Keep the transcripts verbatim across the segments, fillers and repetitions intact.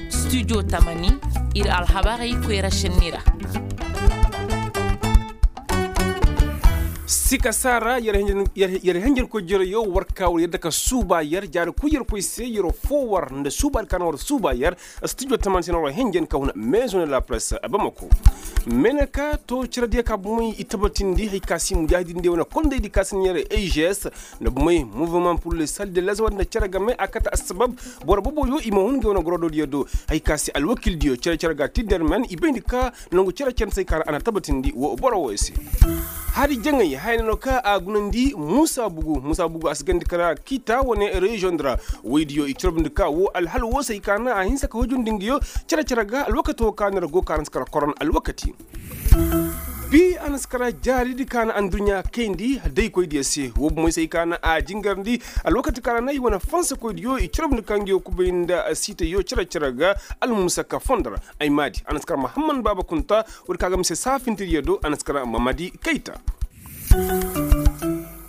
Studio tamani, ir alhabarey koyra šenni ra. Sika saara yer henjen koy jere yo war ka war yadda ka suuba yer jaari kuy yer koy se yer foo war nda suuba di ka na war suuba yer. Studio tamani se na war henjen ka huna maison de la presse bamako. Mene ka to cere diya ka bumey i tabatindi hay ka si mujaahidin diya wane kondey di ka si na yer egs nda bumey mouvement pour le salut de lazawad nda cere game a kate assabab boro boboyo i ma hun ga wane gorodo diyo do. Hay ka si alwakil diyo cere cere ga tidder men i bayndi ka nangu cere cere se ka ra a na tabatindi wo boro wo se. Hari jaŋay haya no ka a gunandi muusa bugu muusa bugu a si gandi kara kiita wane reziyoŋ di ra. Woydiyo i corobndi ka wo alhal wo se i ka na a hinsa ka hujundi nga yo cere cere ga alwakato ka na ra go ka na si kara koron alwakati. Bi a na si kara jaaridi ka na adduɲɲa kayndi daykoydiyo se wo bomoy se i ka na a jingarndi. Alwakati ka ra na i wane fansakoydiyo i corobndi ka nga yo kubay nda siiteyo cere cere ga. Almusaka fondo ra ay maadi a na si kara mahamman baaba kunta. Woodi ka ga mise saafintiriyo do a na si kara mamadi kayta.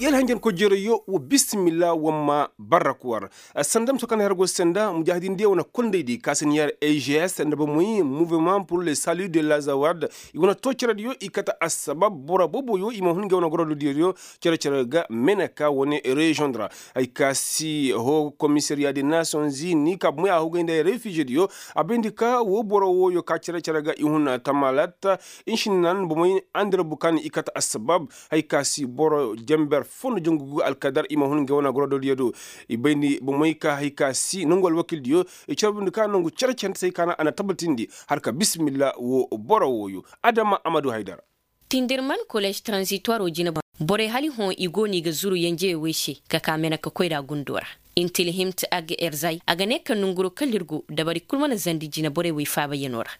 Yar hanjan ko jereyo wa bisimilla wamma barrakuwar. Sanda miso kaŋ har go senda mujaahidin diya wane kondey di ka si na yar egs nda bamoy mouvement pour le salut de lazawad. I wane to cerediyo i kate assabab boro boboyo i ma hun ga wane gorodiyo cere cere ga meneka wane reziyoŋ di ra. Hay ka si ho komisariya de nasiyoŋ zini ka bomoy a hogay nda refize diyo. A bayndi ka wo boro woyo ka cere cere ga i hun tamalat. Nsinan bomoy andira bukan i kate assabab. Hay ka si boro jamber fondo jangugu alkadar i ma hun ga wane gorodiyo do. I bayndi bomoy ka hay ka si nangu alwakildiyo i carbundi ka nangu cere cere nda se hay ka na a na tabatindi har ka bisimilla wo boro woyo. Adama amadu haydara. Tindirman kolej transitoire wo jine boŋ borey hali hõ i go no i ga zuru yenjey wey se ka ka mene ka koy ra gundo ra. Intilhimt ag erzay a ga ne ka nonguro kala ir go dabari kul mana zandi jine borey wey faabayanoo ra.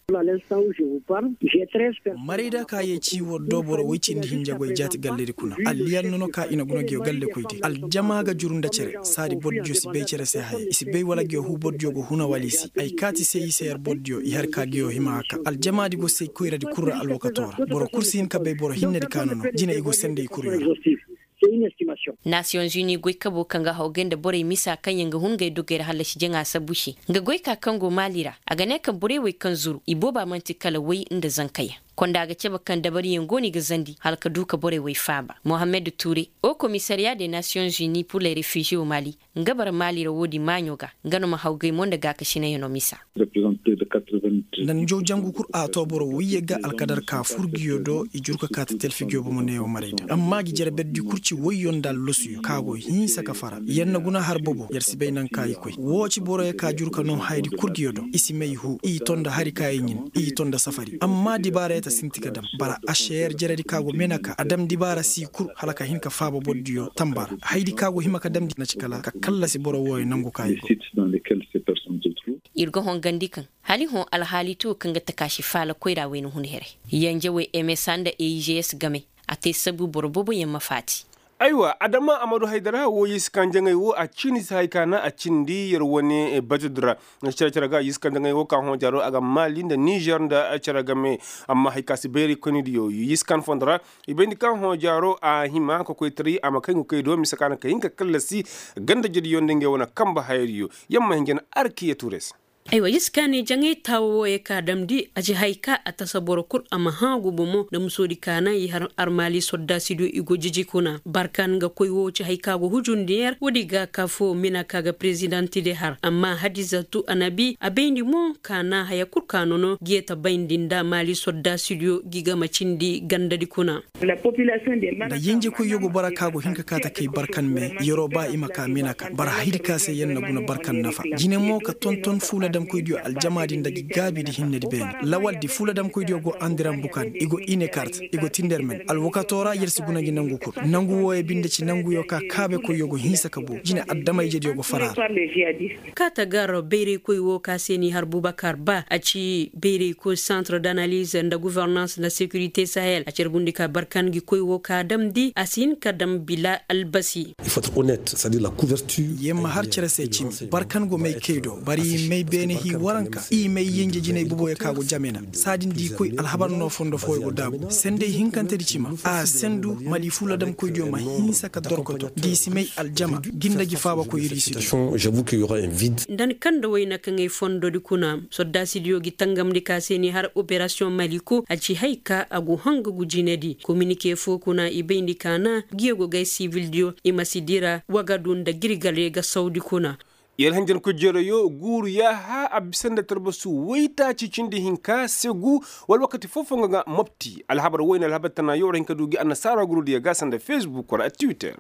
Marayda ka ye ci war do boro woy cindi hinja goy jaati galledi kuna alliyanno no ka i na guna giyo galle koydi aljama ga juru nda cere saadi bordiyo si bay cere se haya i si bay wala giyo huu bordiyo go huna wala i si ay kaati se i se yar bordiyo i har ka giyo hima haka aljamaadi go say koyradi kul ra alwakato ra boro kul si hin ka bay boro hinnedi ka no no jine i go senda i kuryo ra. Nasiyoŋ zuni goy kabo kaŋ ga hawgay nda borey misa kaŋ yaŋ ga hun ngey dogey ra hallasi jaŋa sabu se nga goy ka kaŋ go maali ra a ga ne kaŋ borey wey kaŋ zuru i booba man'ti kala way nda zankayaŋ. Konda ga cabe kaŋ dabariyaŋ go no i ga zandi hala ka du ka borey wey faaba mohammed ture o komisariya de nasiyoŋ zuni pur le refize wo maali. Nga bara maali ra woodi maaɲo ga nga no ma hawgay mo nda gaakasinayano misa. Nanjaw jangu kul a to boro woyye ga alkadar ka fur giyo do i jur ka kaati telfi giyo bomo neewo maray da amma gi jere berdi kul ci woyyo nda allasuyo ka go hinsa ka fara yer na guna har bobo yer si bay naŋ ka i koy woo ci boroyo ka jur ka noo hayadi kul giyo do i si may huu i to nda hari ka i ɲin i to nda safari amma dibaarayata sinti ka dam bara ašeer jeredi ka go mena ka a dam dibaara si kul hala ka hin ka faaba bordiyo tamba ra hayadi ka go hima ka damndi na ci kala ka kallasi boro wooyo nangu ka i go. Ir ga hongandi kaŋ hala i hõ alhaali ti wo kaŋ ga takaasi faala koyra wayna hun here. Yenjewey msa nda eijs game a te sabu boro booboyaŋ ma faati. Aywa adama amadu haydara wo yee si kaŋ jaŋay wo a ciini si hay ka na a cindi yer wane batudi ra. Cere cere ga yee si kaŋ jaŋay wo ka hõ jaaro a ga maali nda nizer nda cere game. Amma hay ka si bayray koynidiyo yee si kaŋ fondo ra i bayndi kaŋ hõ jaaro a hima ka koy taray a ma kay nga koy do mise ka na ka hin ka kallasi ganda jediyo nda ngey wane kambe hayadiyo. Yamma hinja na arkiya tuure se. Aywa yee si kaŋ ne jaŋay taawo wo ye ka damndi a ci hay ka a tasa boro kul a ma hã gubo mo nda musoodi ka naŋ i har armaali sordaasidiyo i go jiji kuna barkan ga koy wo ci hay ka go hujundi yer woodi ga ka fo mina ka ga perezidanti de har amma hadizatu anabi a bayndi mo ka naŋ haya kul ka nono geeta bayndi nda maali sordaasidiyo gi ga ma cindi gandadi kuna. Nda yenjekoyyo go bara ka go hin ka kaati kay barkan me yeroo ba i ma ka mina ka bara hayadi ka se yer na guna barkan nafa jine mo ka tonton fuuladamkoydiyo aljamaadi nda gi gaabidi hinnedi beene lawaldi fuuladamkoydiyo go andiran bukan i go inekart i go tindermen alwakato ra yer si guna gi nangu kul nangu wooyo binde ci nanguyo ka kaabekoyyo go hinsa ka boo jine adama-ijediyo go fara ra. Kaata gar bayraykoy wo ka se n'i har bubakar ba a ci bayraykoy centre d'analyse nda gouvernance nda sécurité sahel a carbundi ka barkan gi koy wo ka damndi a si hin ka dam bila albasi. Yer ma har cere se cimi barkan go may kay do bari may. Ine hii waranka i may yenje jinay boboyo ka go jamena saadin da i koy alhabar no fondo fooyo go daabu senday hinkantedi cima a sendu mali fuladamkoydiyo ma hinsa ka dorkoto da i si may aljama ginda gi faabakoy iri si du. Nda ni kaŋ nda wayna kaŋ ay fondodi kuna soddaasidiyo gi tangamndi ka se ni har operasiyoŋ mali ko a ci hay ka a go hanga gu jinedi kominike fo kuna i bayndi ka na giyo go gay sibildiyo i ma si dira wagadu nda girgale ga sawdi kuna. Yer hanjankoy jeerayo guuru yaaha a bisa nda tarbasu waytaaci cindi hinka segu wala wakati foo-foo nga ga mopti alhabar wayne alhabar tana yo war hin ka du gi annasaara gurudiyo ga sanda fesbuk ra twitter.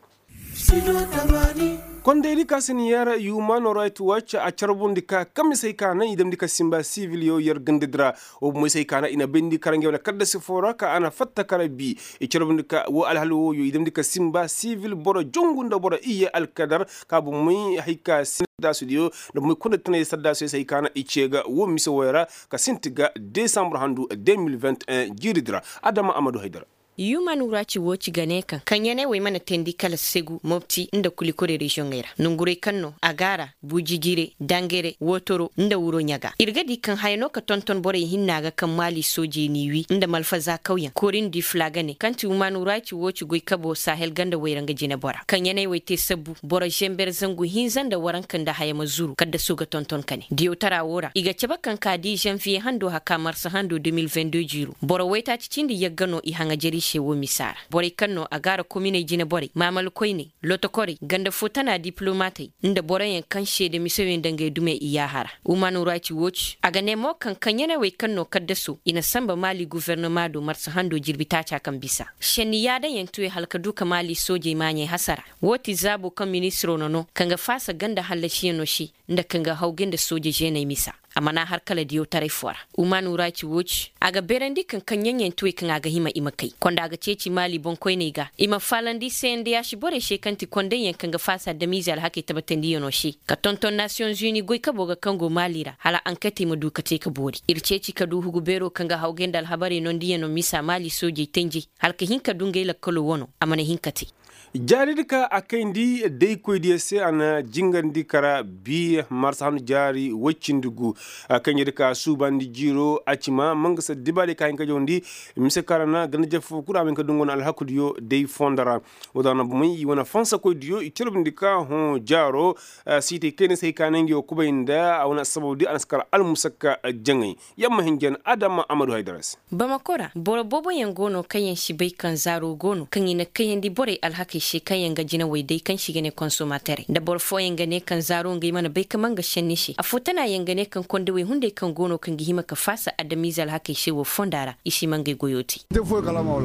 Kondaydi ka si ni yar human right watch a carbundi ka kamisey ka naŋ i damndi ka simba sibil yo yer gandadi ra. Wo bomey se hay ka naŋ i na bayndi kara ngey wane kaddasi foo ra ka a na fatta kara bi i carbundi ka wo alhal wooyo i damndi ka simba sibil boro jongu nda boro iyye alkadar ka bomey hay ka si saddaasudiyo nda bomey kondaydi tanay saddaasuyo se hay ka naŋ i ce ga wo mise wooyo ra ka sinti ga desambur handu deux mille vingt et un jiiridi ra. Adama amadu haydara. Human right watch ga ne kaŋ kaŋ ya ne wey mana teendi kala segu mopti nda kulikore reziyoŋey ra nongurey kaŋ no agaara bujijire dangere wootoro nda wuro ɲaga ir ga di kaŋ haya no ka tonton borey hinna ga kaŋ maali soojey n'i wi nda malfaza kawyaŋ korindi fula ga ne kaŋ ti human right watch goykabo sahel ganda wayra nga jinebora kaŋ ya ne wey te sabbu boro zember zangu hinza nda waranka nda haya ma zuru kaddaso ga tonton ka ne diyawtara woo ra i ga cabe kaŋ ka di zanviye hando haka marsa hando deux mille vingt-deux jiiro boro waytaaci cindi yagga no i haŋajer i se woo misa ra borey kaŋ no a gaara kominey jineborey maamal koyney lotokorey ganda foo tana dipilomaatey nda boroyaŋ kaŋ seede miseyo nda ngey dumey i yaaha ra human right watch a ga ne mo kaŋ kaŋyaney wey kaŋ no kaddaso i na sanba maali gofornoma do marsa hando jirbi taaca kaŋ bisa šenni yaadayaŋ tuwe hala ka du ka maali soojey maaɲey hasara woo ti zaabo kaŋ ministiro na no kaŋ ga faasa ganda hallasiyaŋo se nda kaŋ ga hawgay nda sooje žeeney misa a mana har kala diyawtaray foo ra human right watch a ga beerandi kaŋ kaŋ ɲaŋyaŋ ti wey kaŋ a ga hima i ma kay konda a ga ceeci maali boŋkoyney ga i ma faalandi se nda yaasi borey se kaŋ ti kondayyaŋ kaŋ ga faasa adamize alhakey tabatandiyaŋo se ka tonton nasiyoŋ zuni goykabo ga kaŋ go maali ra hala anketey ma du ka te ka boori ir ceeci ka du hugu beero kaŋ ga hawgay nda alhabarey nondiyaŋo misa maali soojey tanjey hala ka hin ka du ngey lakkalo wano a mana hin ka te. Jaaridi ka a kayndi daykoydiyo se a na jingarndi kara bi marsa handu jaari woy cindi gu. Kayndi ka suubandi jiiro a ci ma mangasa dibaadiyo ka hin ka jawndi mise ka ra na ganda jafo kul a ma hin ka du nga wane alhakudiyo day fondo ra. Woo da na bomey i wane fansakoydiyo i calbindi ka hõ jaaro siitey kayna se hay ka na nga yo kubay nda a wane assabawdi a na si kar almusakka jaŋay. Yamma hinjan adama amadu haydara se. Bamako ra boro booboyaŋ go no kaŋ yaŋ si bay kaŋ zaaro go no kaŋ i na kayandi borey alhakey se kaŋ yaŋ ga jinawey day kaŋ se i ga ne konsomaterey nda boro fooyaŋ ga ne kaŋ zaaro ngey mana bay ka man ga senni se afo tana yaŋ ga ne kaŋ kondawey hunday kaŋ go no kaŋ ga hima ka faasa adamize alhakey se wo fonda ra i si man ngey goyo te.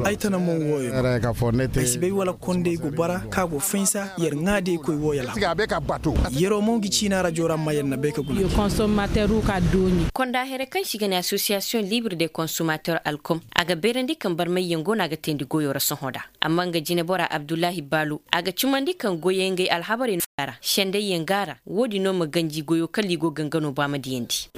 Ay tana mo wooyo ay si bay wala kondey go bara kaŋ a go faynsa yer ŋaadiyey koy wooyo alhakey yeroo mo ngi ciina rajo ra ma yer na bay ka guna. Konda here kaŋ se i ga ne asosiyasiyoŋ libre de konsomater alkom a ga beerandi kaŋ barmayyaŋ go no a ga teendi goyo ra sohõ da amma nga jinebora abdullahi baalu a ga cumandi kaŋ goyey ngey alhabarey no a ra sendayyaŋ ga a ra woodin no ma ganji goyo kala i go ga nga no ba ma diyandi.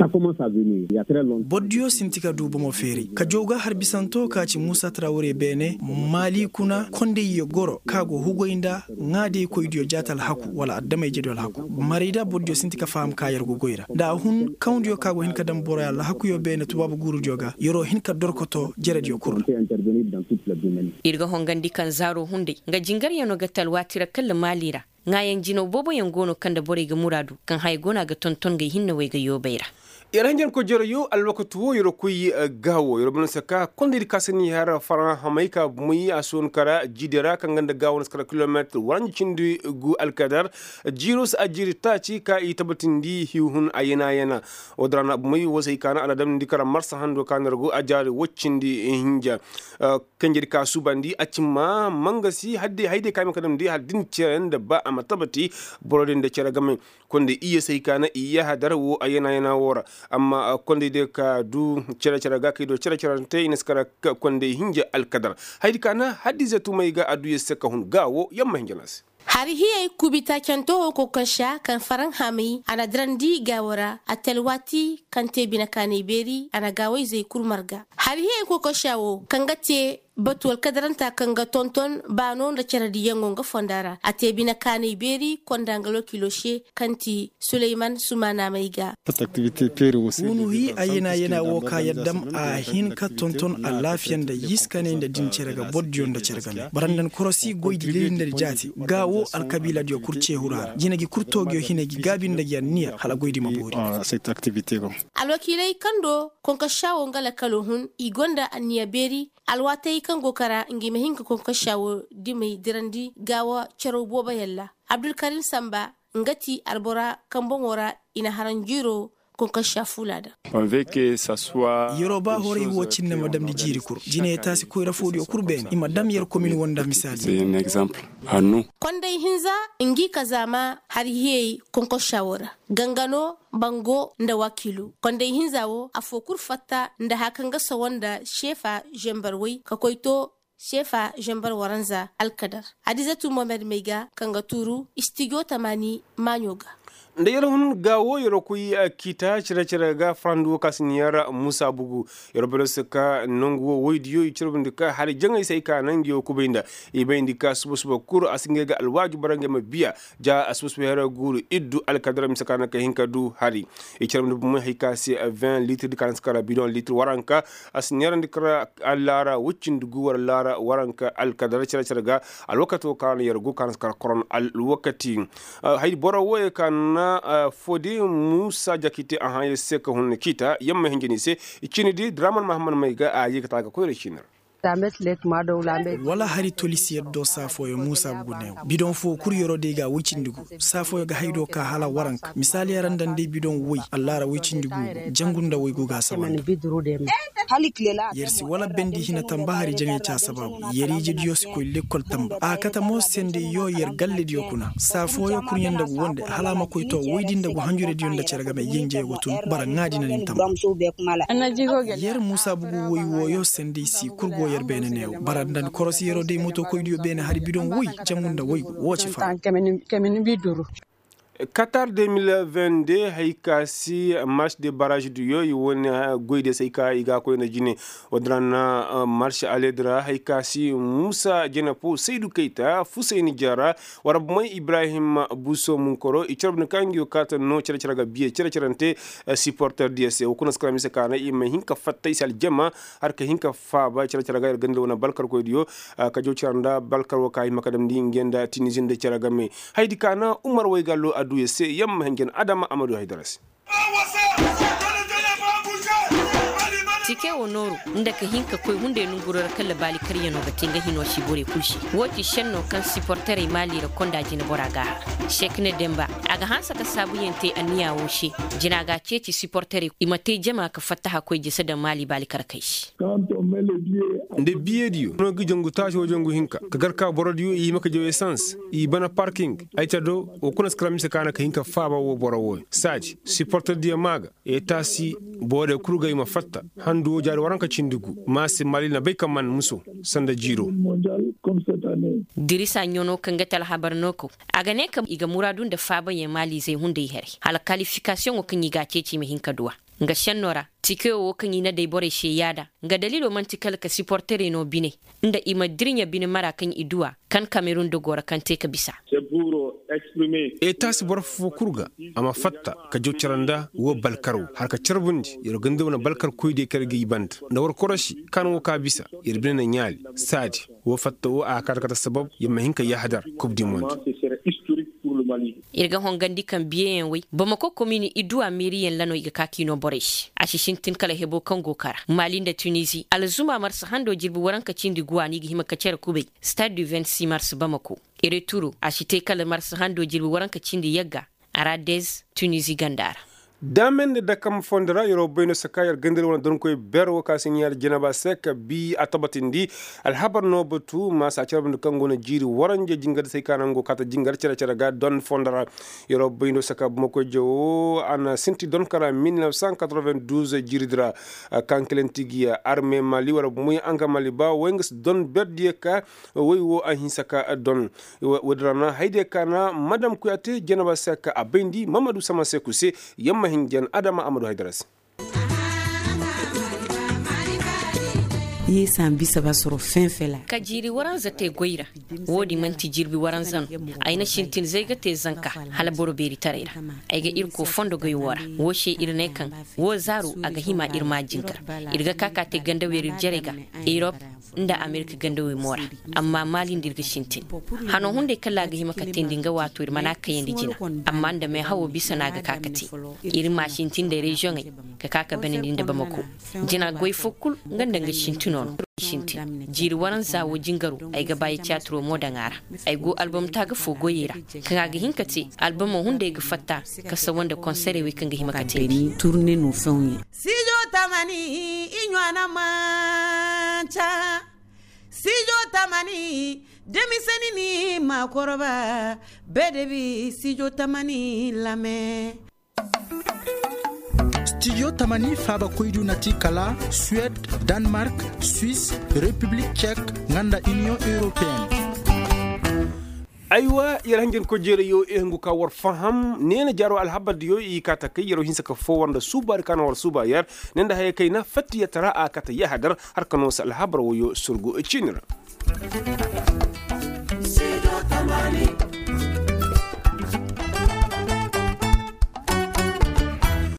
Bordiyo sinti ka du bomo feeri ka jaw ga har bisanto ka ci muusa tarawure beene maali kuna kondayye goro kaŋ a go hugoy nda ŋaadiykoydiyo jaati alhaku wala adama-ijediyo alhaku marayda bordiyo sinti ka faham ka yer go goy ra nda a hun kawndiyo kaŋ a go hin ka daŋ boroy alhakuyo beene tubaabu guurudiyo ga yer'o hin ka dorkoto jerediyo kul ra. Ir ga hongandi kaŋ zaaro hunday nga jingaryaŋo ga te alwaati ra kalla maali ra ŋaayaŋ jinaw booboyaŋ go no kaŋ nda borey ga muraadu kaŋ haya go no a ga tonton ngey hinnawey ga yoobay ra. Yer hanjankoy jere yo alwakati wo yer koy gaawo yer bana saka kondaydi ka se ni har faraŋ hamay ka bumay a soon kara jiidiyo ra kaŋ ga nda gaawo na si kara kilomeetir waranji cindi gu alkadar jiiro si a jiiri taaci ka i tabatindi hiihun a yana yana. Wo- din ra na bumay wo se i kaana a na damndi kara marsa hando ka na yer go a jaari woy cindi hinja. Kanjedi ka suubandi a ci ma mangasi haydey ka a ma ka damndi hala da ni cere nda ba a ma tabati boro din nda cere game. Konday iyye se hay ka na iyye hadar wo a yana yana wo ra. Amma konday day ka du cere cere ga kay do cere cere te i na si kara konday hinja alkadar. Haydi ka na haddize tumay ga a du yer se ka hun ga wo yamma hinja na se. Hari hiyey kubi taacanto wo kokosha kaŋ faraŋ hamay a na dirandi gaawo ra a te alwaati kaŋ te bine kaanay beeri a na gaawayzey kul marga. Hari hiyey kokosha wo kaŋ ga te Batu alkadaranta kaŋ ga tonton baano nda cere diyaŋo nga fonda ra a te bine kaanay beeri konda nga lokiilo se kaŋ ti suleyman sumaana may ga. Wunu hi a yena yena wo ka yaddam a hin ka tonton alaafiya nda yiskanay nda din cere ga boro diyo nda cere game baranda ni korosi goy di lili nda di jaati ga wo alkabiila diyo kul ceehura ra jina gi kul toogiyo hinay gi gaabi nda gi anniya hala goy di ma boori. Alwakiiley kaŋ do konkossa wo nga lakalo hun i gonda anniya beeri alwaatey kaŋ go kara ngi ma hin ka konkossa wo dimey dirandi gaawa caraw boobo yalla. Abdulkarim samba nga ti albora kaŋ boŋo ra i na haranjiiro konkossa fuula daŋ. Yeroo ba horay wo cinne ma damndi jiiri kul jiney taasi koyra foodiyo kul beene i ma dam yer komin wo nda misaali. Konday hinza ngi ka zaama hari hiyey konkossa wo ra ganga no bango nda wakiilu konday hinza wo afoo kul fatta nda haya kaŋ ga sawa nda seefa zembar way ka koy to seefa zembar waranza alkadar. Adizatu mohamed may ga kaŋ ga tuuru istijo tamaani maaɲo ga. Nda yer hun ga wo yer koy kiita cere-cere ga farandi wo ka si ni yer muusa bugu. Yer boro se ka nangu wo woydiyo i carbundi ka hari jaŋay se ay ka naŋ ngi wo kubay nda i bayndi ka suba-suba kul a si ngey ga alwaaju bara ngey ma biya ja a suba-suba yer guuru iddu alkadara mise ka naŋ ka hin ka du hari. I carbundi bumey hay ka se vin liitir di ka naŋ si kara bidoŋ liitir waranka a si neerandi kara allaara woy cindi gu war allaara waranka alkadara cere-cere ga. Alwakato ka na yer go ka naŋ si kara koron alwakati. Hay boro wooyo ka na foodi muusa jakite a hãayaŋ se ka hun na ciita yer ma hinja ni se. Cini di draman mahammad may ga a ye ka ta ga koyra ciini ra. Wala hari tolisi yaddo saa fooyaŋ muusa bugu neewo bidoŋ foo kul yeroo day ga woy cindi gu saa fooyaŋ ga hay do ka hala waranka misaali yaŋ ra nda nday bidoŋ woy allaara woy cindi gu go jangu nda woy go ga a saba nda. Yer si wala bendi hina tamba hari jaŋay ca sabaabu yer ije diyo si koy lekkol tamba a kate mo sende yo yer galle diyo kuna saa fooyaŋ kurɲe nda gu wonde hala a ma koy to woy di nda gu hanjure diyo nda cere game yenje go tun bara ŋaadi na nin tamba. Yer muusa bugu woy wooyo sende i si kul go yer beene neewo bara nda ni korosi yeroo day moto koydiyo beene hari bidoŋ woy jangu nda woy go woo ci fara. Katar de mil vingt de hay ka si marš de baraj diyo i wane goy de se ay ka i ga a koy nda jine. Woo din ra na marš aledi ra hay ka si muusa jene foo saydu kayta fusayni jara. War bumey ibrahim buso munkoro i carbu ni kaŋ ngi wo kaata no cere-cere ga biye cere-cerante. Siporter diyo se wo kuna si kara mise ka na i ma hin ka fatta i se aljama har ka hin ka faaba cere-cere ga ir ganda wane balkarkoy diyo. Ka jaw cere nda balkar wo ka hima ka damndi nge nda tinizi nda cere game. Haydi ka na umar waygallo adduya se yamma hinjan adama amadu haydara se. Tike wo nooru nda ka hin ka koy hunday nonguroo ra kala baali karyanoo ga te nga hinoo se borey kul se. Woo ti šennoo kaŋ siporterey maali ra konda jineboraa ga a har. Sekne demba a ga hanse ka saabuyaŋ te anniyaa woo se. Jina ga a ceeci siporterey i ma te jama ka fattaha koy jese daŋ maali baali karkey se. Nda biyediyo no ga jangu taasi woo jangu hinka ka gar ka borodiyo i hima ka jaw esans i bana parking. Ay ta do woo kuna si kara mise ka na ka hin ka faaba woo boro wooyo saaji siporterdiyo maa ga. Etaasi boorey kul ga i ma fatta handu woo jaari waranka cindi gu ma se maali na bay ka man muso sanda jiiro. Dirisa ɲono kaŋ ga te alhabar no kaw a ga ne ka i ga muraadu nda faabayaŋ maaliizey hunday haray hala kalifikasiyoŋo kaŋ i ga a ceeci i ma hin ka du a. Nga šennoo ra tikewo woo kaŋ i na day borey se yaada nga daliiloo man'ti kala ka siporterey no bine nda i ma dirɲa bine mara kaŋ i du a. Kan kamerun dogoo ra kaŋ te ka bisa. Etaasi boro foo kul ga a ma fatta ka jaw cere nda woo balkaroo har ka carbundi yer ganda wane balkarkoydiyo kaŋ yer ga i banda nda war korosi kaŋ woo ka bisa yer bine na ɲaali saadi. Woo fatta woo a ga kaati kate sabab yer ma hin ka yaahadar kub di monde. Ir ga hongandi kaŋ biyeyaŋ way bamako komini i duwa meeriyaŋ lanoo i ga ka k'i noo borey se a si sintin kala heboo kaŋ go kara maali nda tunizi alzuma marsa handoo jirbi waranka cindi guwa no i ga hima ka cere kubay. Stade du vingt-six mars bamako. Ereturo a si te kala marsa handoo jirbi waranka cindi yagga. Aradez tunizi ganda ra. Daame nda dakam fondo ra yer wo bay no se ka yer ganda ra wane donkoy ber wo ka si ɲaari janaba se ka bi a tabatindi. Alhabar no batu ma se a cere banda kaŋ go no jiiri waranja jingar se ay ka naŋ go kaata jingar cere-cere ga don fondo ra. Yer wo bay no se ka bumako jawo a na sinti don kara mil neuf cent quatre-vingt-douze jiiri di ra. Kaŋ kilanti gi arme mali war bumey anga mali ba way nga si don ber diyo ka. Way wo a hinsa ka don. Woo din ra na haydiyo ka na madam kuyaate janaba se ka a bayndi mamadu sama seeku se. Yamma hinjan adama amadu haydara se. Ka jiiri waranza te goy ra. Wo- din man'ti jirbi waranza no. Ay na sintin zay ga te zanka hala boro beeritaray ra. Ay ga irkoy fondo goy wo ra. Wo se ir ne kaŋ wo zaaru a ga hima ir ma jingar. Ir ga ka ka te ganda weeri ir jarey ga, erop nda amerika ganda wey mo ra. Amma maali nda ir ga sintin. Hano hunday kala a ga hima ka teendi nga waato ir mana kayandi jina. Amma nda meehawo bisa no a ga ka ka te. Ir ma sintin nda reziyoŋey ka ka ka banandi nda bamako. Jina goy fo kul nga nda nga sintino no. Jiiri waranza wo jingaro ay ga ba ya tiyaatiro mo daŋ a ra. Ay go albom taaga fo goyey ra, kaŋ a ga hin ka te albamo hunday ga fatta ka sawa nda konserey wey kaŋ ga hima ka te. Sijo tamani i ɲwaana manca. Sijo tamani demisani ni ma koroba. Bedebi sijo tamani lame. Stijo tamani faabakoydu na ti kala suwed, danmark, swis, repiblik cek, nga nda iniyoŋ europeen. Aywa, yer hanjankoy jeerayyo i hungu ka war faham neena jaaro alhabardiyo i kaa ta kay yeroo hinsa ka foo war nda suubaari ka na war suuba yer. Ne nda hayey kayna fattiyataraa a kate yahadar har ka noo se alhabar woyo surgu ciini ra.